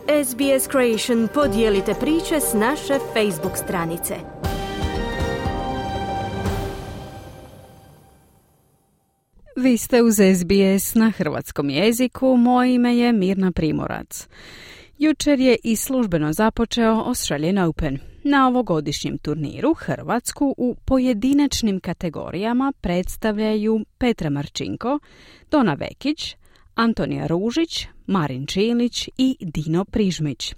SBS Creation, podijelite priče s naše Facebook stranice. Vi ste uz SBS na hrvatskom jeziku, moje ime je Mirna Primorac. Jučer je i službeno započeo Australian Open. Na ovogodišnjem turniru Hrvatsku u pojedinačnim kategorijama predstavljaju Petra Marčinko, Dona Vekić, Antonija Ružić, Marin Čilić i Dino Prižmić.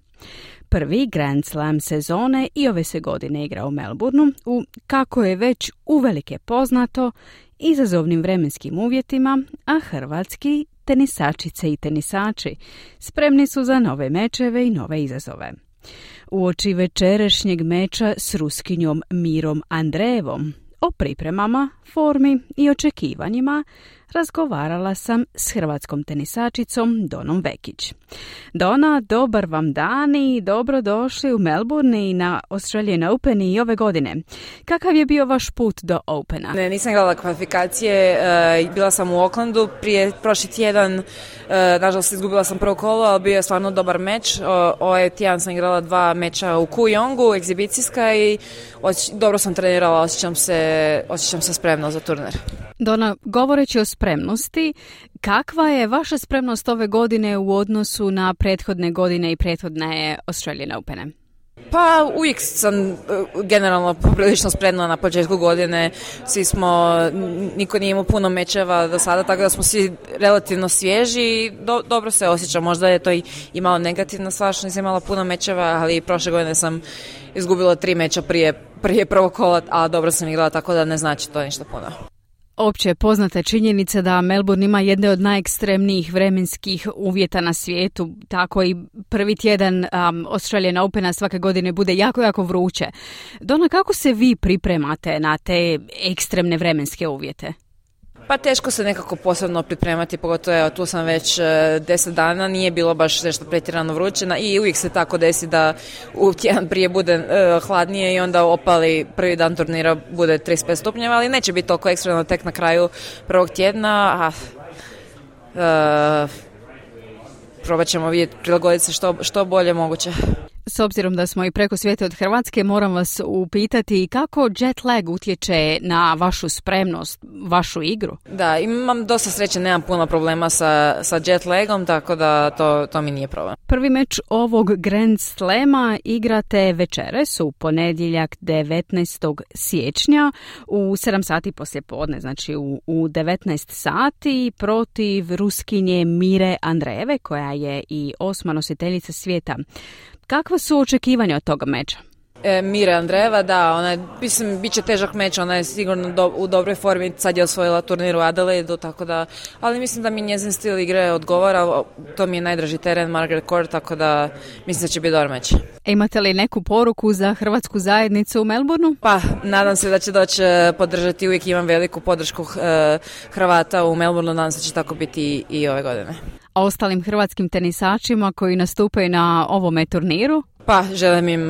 Prvi Grand Slam sezone i ove se godine igra u Melbourneu u, kako je već uvelike poznato, izazovnim vremenskim uvjetima, a hrvatski tenisačice i tenisači spremni su za nove mečeve i nove izazove. Uoči večerašnjeg meča s Ruskinjom Mirom Andrejevom o pripremama, formi i očekivanjima razgovarala sam s hrvatskom tenisačicom Donom Vekić. Dona, dobar vam dan i dobrodošli u Melbourne i na Australian Open i ove godine. Kakav je bio vaš put do Opena? Nisam gledala kvalifikacije, bila sam u Aucklandu prošli tjedan, nažalost izgubila sam prvo kolo, ali bio je stvarno dobar meč. Ovaj tjedan sam igrala 2 meča u Kooyongu, egzibicijska i dobro sam trenirala, osjećam se spremno za turnir. Dona, govoreći o spremnosti, kakva je vaša spremnost ove godine u odnosu na prethodne godine i prethodne Australian Opene? Pa uvijek sam generalno poprilično spremna na početku godine. Niko nije imao puno mečeva do sada, tako da smo svi relativno svježi i dobro se osjećam. Možda je to i malo negativna stvar što nisam imala puno mečeva, ali prošle godine sam izgubila 3 meča prije prvog kola, a dobro sam igrala, tako da ne znači to ništa puno. Opće je poznata činjenica da Melbourne ima jedne od najekstremnijih vremenskih uvjeta na svijetu, tako i prvi tjedan Australian Opena svake godine bude jako, jako vruće. Dona, kako se vi pripremate na te ekstremne vremenske uvjete? Pa teško se nekako posebno pripremati, pogotovo tu sam već 10 dana, nije bilo baš nešto pretjerano vruće i uvijek se tako desi da u tjedan prije bude hladnije i onda opali prvi dan turnira bude 35 stupnjeva, ali neće biti toliko ekstremno tek na kraju prvog tjedna, probat ćemo vidjeti, prilagoditi se što bolje moguće. S obzirom da smo i preko svijeta od Hrvatske, moram vas upitati kako jet lag utječe na vašu spremnost, vašu igru? Da, imam dosta sreće, nemam puno problema sa jet lagom, tako da to mi nije problem. Prvi meč ovog Grand Slama igrate večeras u ponedjeljak 19. siječnja u 7 sati poslijepodne, znači u 19 sati protiv Ruskinje Mire Andrejeve, koja je i 8. nositeljica svijeta. Kakva su očekivanja od toga meča? Mire Andrejeva, da, bit će težak meč, ona je sigurno u dobroj formi, sad je osvojila turnir u Adelaidu, tako da, ali mislim da mi njezin stil igre odgovara, to mi je najdraži teren, Margaret Court, tako da mislim da će biti dobar meč. Imate li neku poruku za hrvatsku zajednicu u Melbourneu? Pa, nadam se da će doći podržati, uvijek imam veliku podršku Hrvata u Melbourneu, nadam se da će tako biti i ove godine. A ostalim hrvatskim tenisačima koji nastupaju na ovome turniru? Pa, želim im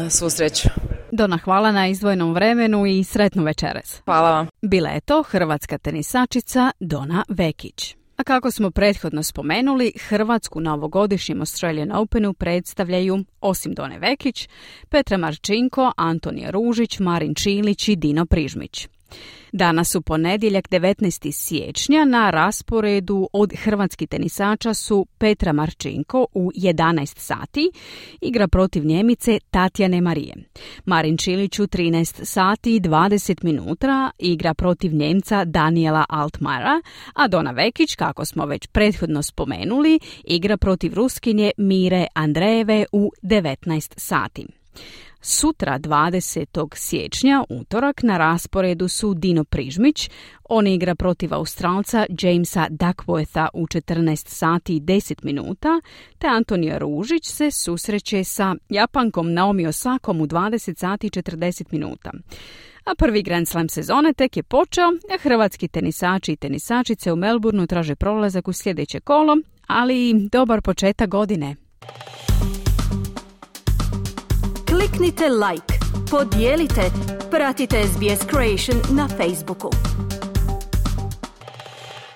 svu sreću. Dona, hvala na izdvojenom vremenu i sretnu večeras. Hvala vam. Bila je to hrvatska tenisačica Dona Vekić. A kako smo prethodno spomenuli, Hrvatsku na ovogodišnjem Australian Openu predstavljaju, osim Done Vekić, Petra Marčinko, Antonija Ružić, Marin Čilić i Dino Prižmić. Danas u ponedjeljak 19. siječnja na rasporedu od hrvatskih tenisača su Petra Marčinko u 11 sati, igra protiv Njemice Tatjane Marije. Marin Čilić u 13 sati i 20 minuta igra protiv Njemca Daniela Altmajera, a Dona Vekić, kako smo već prethodno spomenuli, igra protiv Ruskinje Mire Andrejeve u 19 sati. Sutra 20. siječnja, utorak, na rasporedu su Dino Prižmić, on igra protiv Australca Jamesa Duckwortha u 14 sati i 10 minuta, te Antonija Ružić se susreće sa Japankom Naomi Osakom u 20 sati i 40 minuta. A prvi Grand Slam sezone tek je počeo, a hrvatski tenisači i tenisačice u Melbourneu traže prolazak u sljedeće kolo, ali i dobar početak godine. Kliknite like, podijelite, pratite SBS Creation na Facebooku.